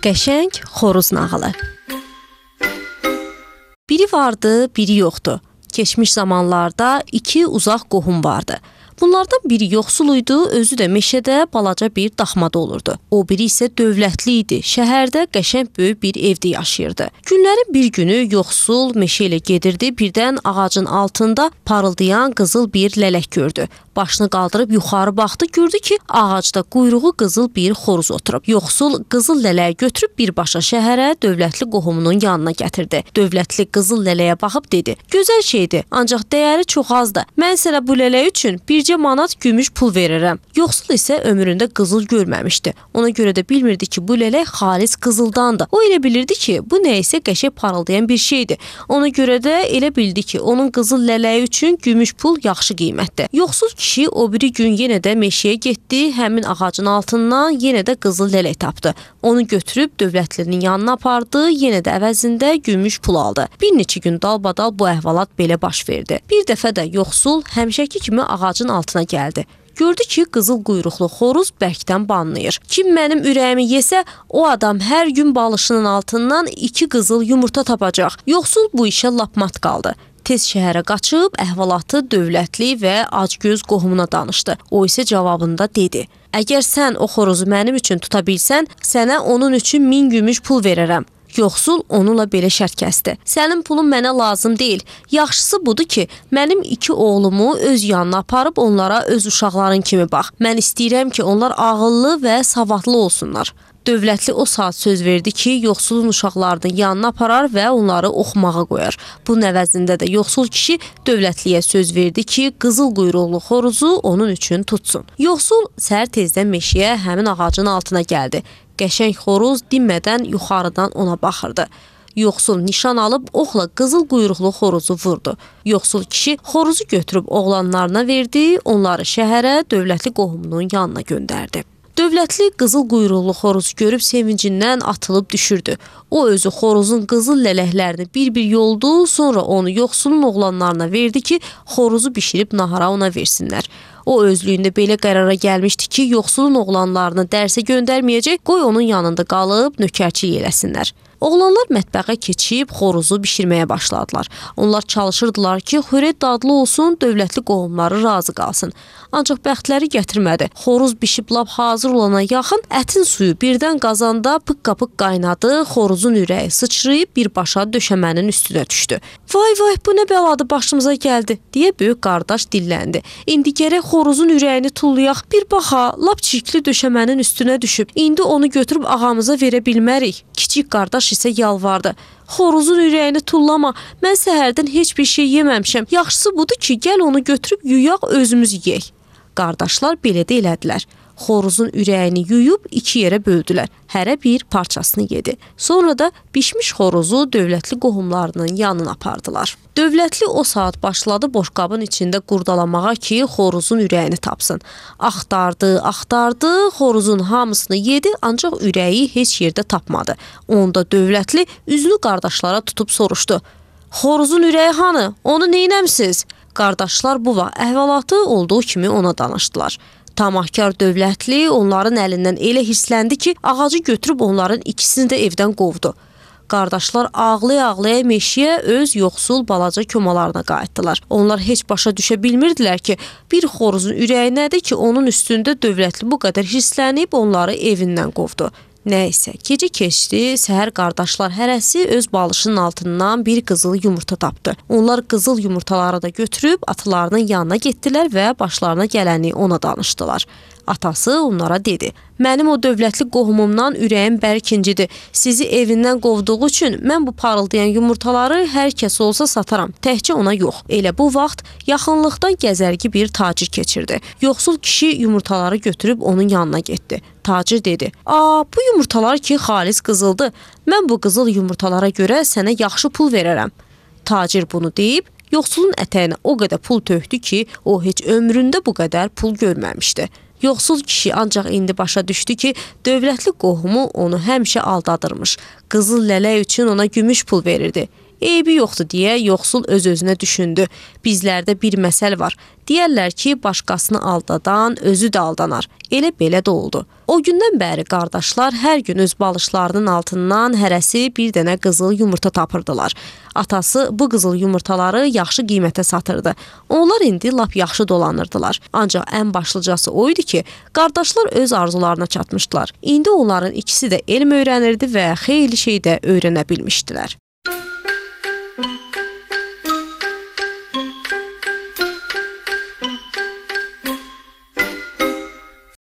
Qəşəng xoruz nağılı. Biri vardı, biri yoxdu. Keçmiş zamanlarda iki uzaq qohum vardı. Bunlardan biri yoxsul idi, özü də meşədə balaca bir daxmada olurdu. O biri isə dövlətli idi, şəhərdə qəşəng böyük bir evdə yaşayırdı. Günlərin bir günü yoxsul meşə ilə gedirdi, birdən ağacın altında parıldayan qızıl bir lələk gördü. Başını qaldırıb yuxarı baxdı, gördü ki, ağacda quyruğu qızıl bir xoruz oturub. Yoxsul qızıl lələyi götürüb birbaşa şəhərə dövlətli qohumunun yanına gətirdi. Dövlətli qızıl lələyə baxıb dedi: "Gözəl şeydir, ancaq dəyəri çox azdır. Mən sənə bu lələk üçün bircə manat gümüş pul verirəm." Yoxsul isə ömründə qızıl görməmişdi. Ona görə də bilmirdi ki, bu lələk xalis qızıldandır. O elə bilirdi ki, bu nə isə qəşəng parıldayan bir şeydir. Ona görə də elə bildi ki, onun qızıl lələyi üçün gümüş pul yaxşı qiymətdir. Yoxsul kişi o biri gün yenə də meşəyə getdi, həmin ağacın altından yenə də qızıl lələk tapdı. Onu götürüb dövlətlinin yanına apardı, yenə də əvəzində gümüş pul aldı. Bir neçə gün dalbadal bu əhvalat belə baş verdi. Bir dəfə də yoxsul həmişəki kimi ağacın altına gəldi. Gördü ki, qızıl quyruqlu xoruz bərkdən banlayır. Kim mənim ürəyimi yesə, o adam hər gün balışının altından 2 qızıl yumurta tapacaq. Yoxsul bu işə lap mat qaldı. Tez şəhərə qaçıb əhvalatı dövlətli və acgöz qohumuna danışdı. O isə cavabında dedi: "Əgər sən o xoruzu mənim üçün tuta bilsən, sənə onun üçün 1000 gümüş pul verərəm." Yoxsul onunla belə şərt kəsdi: "Sənin pulun mənə lazım deyil. Yaxşısı budur ki, mənim 2 oğlumu öz yanına aparıb onlara öz uşaqların kimi bax. Mən istəyirəm ki, onlar ağıllı və savadlı olsunlar." Dövlətli o saat söz verdi ki, yoxsulun uşaqlarını yanına aparar və onları oxumağa qoyar. Bunun əvəzində də yoxsul kişi dövlətliyə söz verdi ki, qızıl quyruqlu xoruzu onun üçün tutsun. Yoxsul səhər tezdən meşəyə həmin ağacın altına gəldi. Qəşəng xoruz dinmədən yuxarıdan ona baxırdı. Yoxsul nişan alıb oxla qızıl quyruqlu xoruzu vurdu. Yoxsul kişi xoruzu götürüb oğlanlarına verdi, onları şəhərə dövlətli qohumunun yanına göndərdi. Dövlətli qızıl quyruqlu xoruzu görüb sevincindən atılıb düşürdü. O özü xoruzun qızıl lələklərini bir-bir yoldu, sonra onu yoxsulun oğlanlarına verdi ki, xoruzu bişirib nahara ona versinlər. O özlüyündə belə qərara gəlmişdi ki, yoxsulun oğlanlarını dərsə göndərməyəcək, qoy onun yanında qalıb nökərçilik eləsinlər. Oğlanlar mətbəxə keçib xoruzu bişirməyə başladılar. Onlar çalışırdılar ki, xörək dadlı olsun, dövlətli qohumları razı qalsın. Ancaq bəxtləri gətirmədi. Xoruz bişib lap hazır olana yaxın ətin suyu birdən qazanda pıqqa-pıqq qaynadı, xoruzun ürəyi sıçrayıb birbaşa döşəmənin üstünə düşdü. "Vay vay, bu nə bəladır başımıza gəldi," deyə böyük qardaş dilləndi. "İndi gərək xoruzun ürəyini tullayaq. Bir baxa, lap çirkli döşəmənin üstünə düşüb. İndi onu götürüb ağamıza verə bilmərik." Kiçik qardaş isə yalvardı: "Xoruzun ürəyini tullama. Mən səhərdən heç bir şey yeməmişəm. Yaxşısı budur ki, gəl onu götürüb yuyaq, özümüz yeyək." Qardaşlar belə də elədilər. Xoruzun ürəyini yuyub 2 yerə böldülər. Hərə bir parçasını yedi. Sonra da bişmiş xoruzu dövlətli qohumlarının yanına apardılar. Dövlətli o saat başladı boşqabın içində qurdalamağa ki, xoruzun ürəyini tapsın. Axtardı, xoruzun hamısını yedi, ancaq ürəyi heç yerdə tapmadı. Onda dövlətli üzünü qardaşlara tutub soruşdu: "Xoruzun ürəyi hanı? Onu neynəmsiz?" Qardaşlar bu vaxt əhvalatı olduğu kimi ona danışdılar. Tamahkar dövlətli onların əlindən elə hirsləndi ki, ağacı götürüb onların ikisini də evdən qovdu. Qardaşlar ağlaya-ağlaya meşəyə öz yoxsul balaca komalarına qayıtdılar. Onlar heç başa düşə bilmirdilər ki, bir xoruzun ürəyi nədir ki, onun üstündə dövlətli bu qədər hirslənib onları evindən qovdu. Nəysə, gecə keçdi, səhər qardaşlar hərəsi öz balışının altından bir qızıl yumurta tapdı. Onlar qızıl yumurtaları da götürüb atalarının yanına getdilər və başlarına gələni ona danışdılar. Atası onlara dedi: "Mənim o dövlətli qohumumdan ürəyim bərk incidir. Sizi evindən qovduğu üçün mən bu parıldayan yumurtaları hər kəs olsa sataram, təkcə ona yox." Elə bu vaxt yaxınlıqdan gəzərgi bir tacir keçirdi. Yoxsul kişi yumurtaları götürüb onun yanına getdi. Tacir dedi: bu yumurtalar ki, xalis qızıldır. Mən bu qızıl yumurtalara görə sənə yaxşı pul verərəm." Tacir bunu deyib, yoxsulun ətəyinə o qədər pul tökdü ki, o heç ömründə bu qədər pul görməmişdi. Yoxsul kişi ancaq indi başa düşdü ki, dövlətli qohumu onu həmişə aldadırmış. Qızıl lələk üçün ona gümüş pul verirdi. Eybi yoxdur deyə yoxsul öz-özünə düşündü. Bizlərdə bir məsəl var. Deyərlər ki, başqasını aldadan özü də aldanar. Elə belə də oldu. O gündən bəri qardaşlar hər gün öz balışlarının altından hərəsi bir dənə qızıl yumurta tapırdılar. Atası bu qızıl yumurtaları yaxşı qiymətə satırdı. Onlar indi lap yaxşı dolanırdılar. Ancaq ən başlıcası o idi ki, qardaşlar öz arzularına çatmışdılar. İndi onların ikisi də elm öyrənirdi və xeyli şey də öyrənə bilmişdilər.